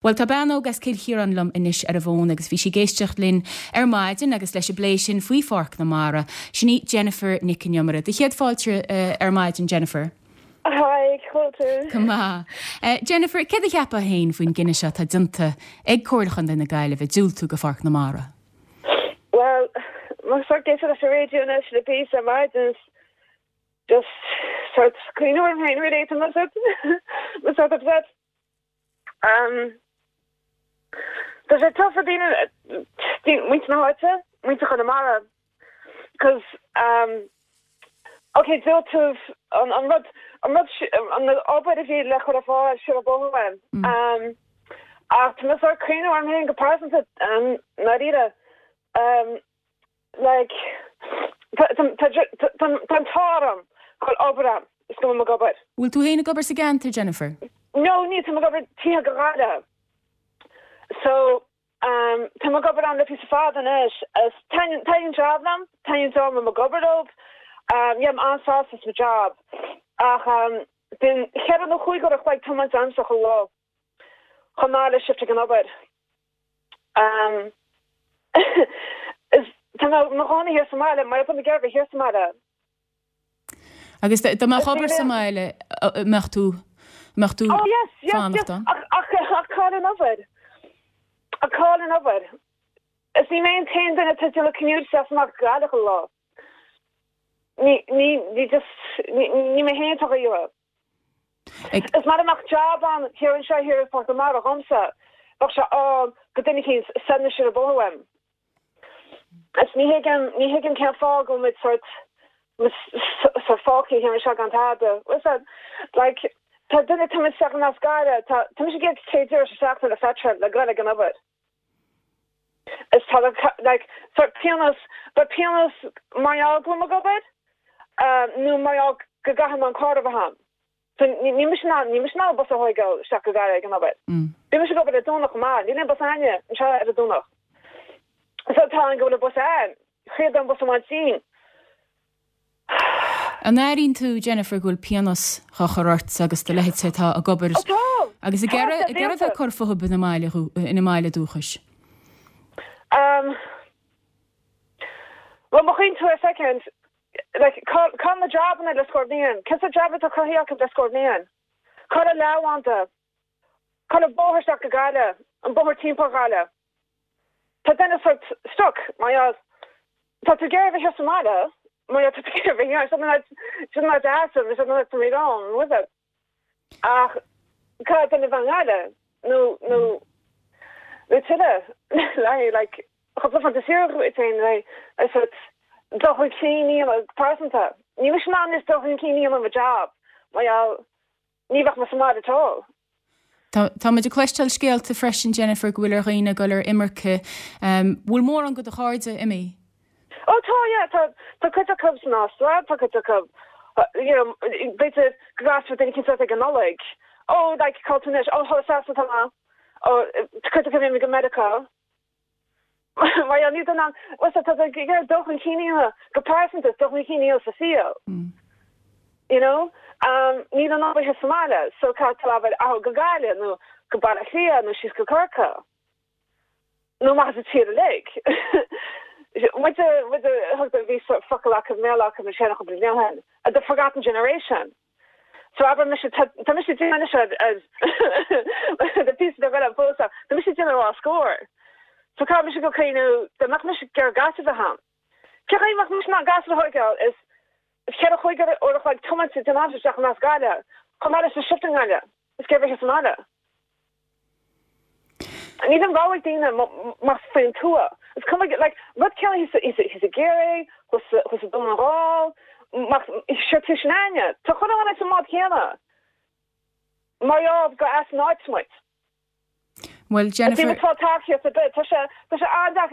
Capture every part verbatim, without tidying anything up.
Bhuel tá bean óg as Cill Chiaráin liom anois ar an bhfón agus bhí sí ag éisteacht linn ar maidin agus leis an bplé sin faoi Pháirc na Mara. Sin í Jennifer Nic an Iomaire. Do chéad fáilte uh, ar maidin Jennifer. Hi, tú. Go maith. Uh, Jennifer, céard a cheapfá féin faoin gcinneadh seo atá déanta ag Comhairle Chontae na Gaillimhe diúltú go Pháirc na Mara. Well, má sort géis leis an radio anois le píosa ar maidin just sort cuimhneamh orm féin really tá mé sort upset. Um, Tá sé tough daoine muintir na háite muintir Chonamara cos um, okay tú an an rud an rud an obair a bhí le chur fáil si bóhain um, ach tá mé sort cuimhneamh orm féin go pearsanta um, dáiríre um, like tá táram chun obair is go mo gobair. Bhfuil tú féin ag obair sa gceantar Jennifer? No, ní tá gobair tí go gada. So um, tá mé ag obair ann le píosa fada anois is taitníonn job liom, taitníonn job mo gobair um, yeah, an-sásta mo job. Ach um, bíonn ceithre nó cúig uair a chloig tiomáint a'msa chuile lá. Chomh maith le shift ag an obair. Um, is tá mo chónaí thiar sa mbaile, mar tá mé thiar sa mbaile. Agus dá mbeadh obair sa mbaile mbeadh tú mbeadh tú Oh yes, yes, yes. Ach ach cá an obair. A cá an obair. Is ní mé an t-aon duine atá déanamh commute amach Gaillimh chuile lá. Ní ní ní just ní mé féin atá go Is mar amach job an thiar anseo thiar Páirc na Mara dhomsa, bheadh sé á go duine cín sena si a bohem. Is ní thuigim ní thuigim cén fáth go mit sort sa fáí hir se gan tada. Like tá duine tá se as gaire tá tá sé get téidir seach le petrol le go an obair. Is tá like sort pionós but pionós mar go gobair nó mar go gcaithfidh an carr a bheith a'm. So ní mis ná ní mis ná bus a thógáil isteach go Gaillimh ag an obair. Bhí mise ag obair ar Domhnach má, níl aon bus againne anseo ar an Domhnach. So tá an go bhfuil bus an, chuad an bus amháin sin. An airíonn tú Jennifer go bhfuil pionós á chur ort agus do leithéid atá ag obair agus ag iarraidh bheith cur fúthu ina mbaile ina mbaile dúchais. Um, well, má chuimhníonn tú a second, like, cá na jobanna le scór bliain, Cé sa job atá cruthaithe le scór bliain. Cá a leabhanta Cá an bóthar isteach go Gaillimh, an bóthar timpeall Gaillimh. Tá duine sort stuck mar tá tú ag iarraidh sa mbaile, mar tá sin deas mé rán with it. Ach cá duine bheith i nGaillimh nó nó nó tuile le like cúpla fantasíir le sort dul chun cinn pearsanta. Ní mis ná is dul chun cinn an job mar ní bheadh mé sa mbaile at all. Tá muid ag cloisteáil scéalta freisin Jennifer go bhfuil ar dhaoine dul ar imirce bhfuil mórán de do chairde imithe. Ó tá yeah, tá tá cuid acu san Astráil tá cuid acu you know b'fhéidir go gcasfá duine éicint ag an Nollaig. Ó like cá tú anois ó thá tá ó cuid acu imithe go Meiriceá. Mar ní an tá dul chun cinn go pearsanta dul chun cinn sa saol. You know? Um, ní an obair sa mbaile, so caithfidh tú go Gaillimh nó go Baile Átha Cliath nó síos go Corcaigh. Nó mar sa tír uilig. Bhí focal acu méla acu na sé blian the forgotten generation. So aber mis tá mis de pí de well posa Tá mise déanamh ar scór. So cá mis go céú de nach mis gur gas a ham. Ce mach mis ná gas thógáil is ceithre chúig uair a chloig tiomáint den am isteach as Gaillimh. Chomh maith leis shift i nGaillimh. Is gur bheith sa mbaile. Ní an ráig daine mar faoin tuath. Is cuma like rud ceann hí a géiré chus a dom an rá se tu sin aine. Tá chu an sa mád chéanna. Mar go as náid muid. Well Jennifer tá tá sé tá sé an tá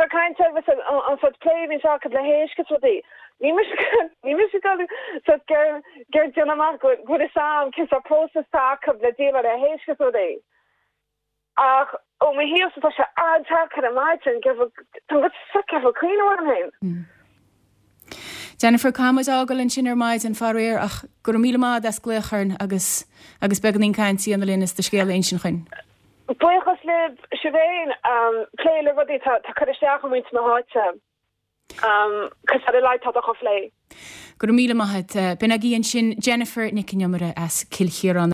caint an sort plé se le héis rudaí. Ní ní mis gur gur déanamach go go sam cin a process tá le déle le héis rudaí. Ach ó mé hí tá sé an-deacair an maidin go cuimhneamh orm. Jennifer caithfidh muid fágáil ansin ar maidin faraor ach go raibh míle maith as glaoch orainn agus agus beagáinín cainte a dhéanamh linn is do scéal a insint chugainn. Buíochas libh sibh um, plé le rudaí tá cur isteach muintir na háite. Um, cos ar le tá a phlé. Go raibh míle maith b'in agaibh ansin Jennifer Nic an Iomaire as Cill Chiaráin.